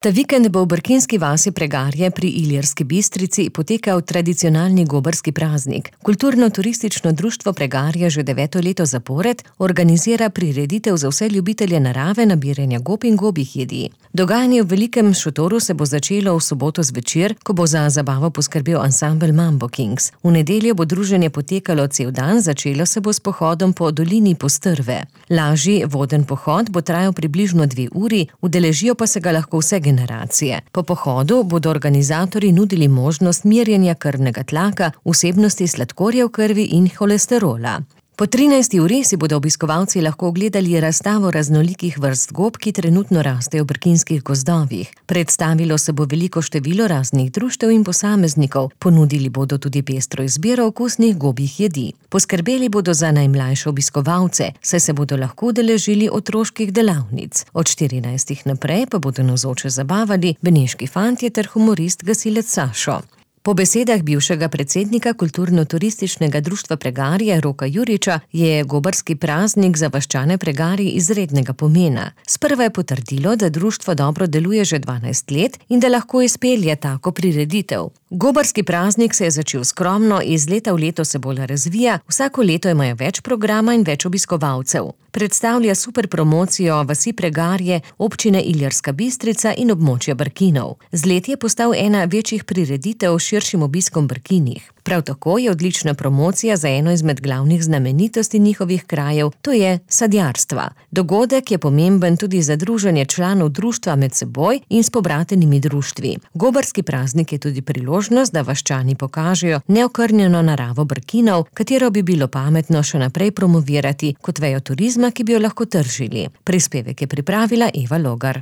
Ta vikend bo v brkinski vasi Pregarje pri Ilirski Bistrici potekal tradicionalni gobarski praznik. Kulturno-turistično društvo Pregarje že 9. leto zapored organizira prireditev za vse ljubitelje narave, nabiranja gob in gobjih jedi. Dogajanje v velikem šotoru se bo začelo v soboto zvečer, ko bo za zabavo poskrbel ansambel Mambo Kings. V nedeljo bo druženje potekalo cel dan, začelo se bo s pohodom po dolini Postrve. Lažji voden pohod bo trajal približno 2 uri, udeležijo pa se ga lahko vse generacije. Po pohodu bodo organizatorji nudili možnost merjenja krvnega tlaka, vsebnosti sladkorja v krvi in holesterola. Po 13. uri si bodo obiskovalci lahko ogledali razstavo raznolikih vrst gob, ki trenutno rastejo v brkinskih gozdovih. Predstavilo se bo veliko število raznih društev in posameznikov, ponudili bodo tudi pestro izbiro okusnih gobjih jedi. Poskrbeli bodo za najmlajše obiskovalce, saj se bodo lahko udeležili otroških delavnic. Od 14. naprej pa bodo navzoče zabavali beneški fantje ter humorist gasilec Sašo. Po besedah bivšega predsednika Kulturno-turističnega društva Pregarje Roka Juriča je gobarski praznik za vaščane Pregarij izrednega pomena. Sprva je potrdilo, da društvo dobro deluje že 12 let in da lahko izpelje tako prireditev. Gobarski praznik se je začel skromno, iz leta v leto se bolj razvija, vsako leto imajo več programa in več obiskovalcev. Predstavlja super promocijo vasi Pregarje, občine Ilirska Bistrica in območja Brkinov. Z leti je postal ena večjih prireditev s širšim obiskom Brkinih. Prav tako je odlična promocija za eno izmed glavnih znamenitosti njihovih krajev, to je sadjarstva. Dogodek je pomemben tudi za druženje članov društva med seboj in s pobratenimi društvi. Gobarski praznik je tudi priložnost, da vaščani pokažejo neokrnjeno naravo Brkinov, katero bi bilo pametno še naprej promovirati kot vejo turizma, ki bi jo lahko tržili. Prispevek je pripravila Eva Logar.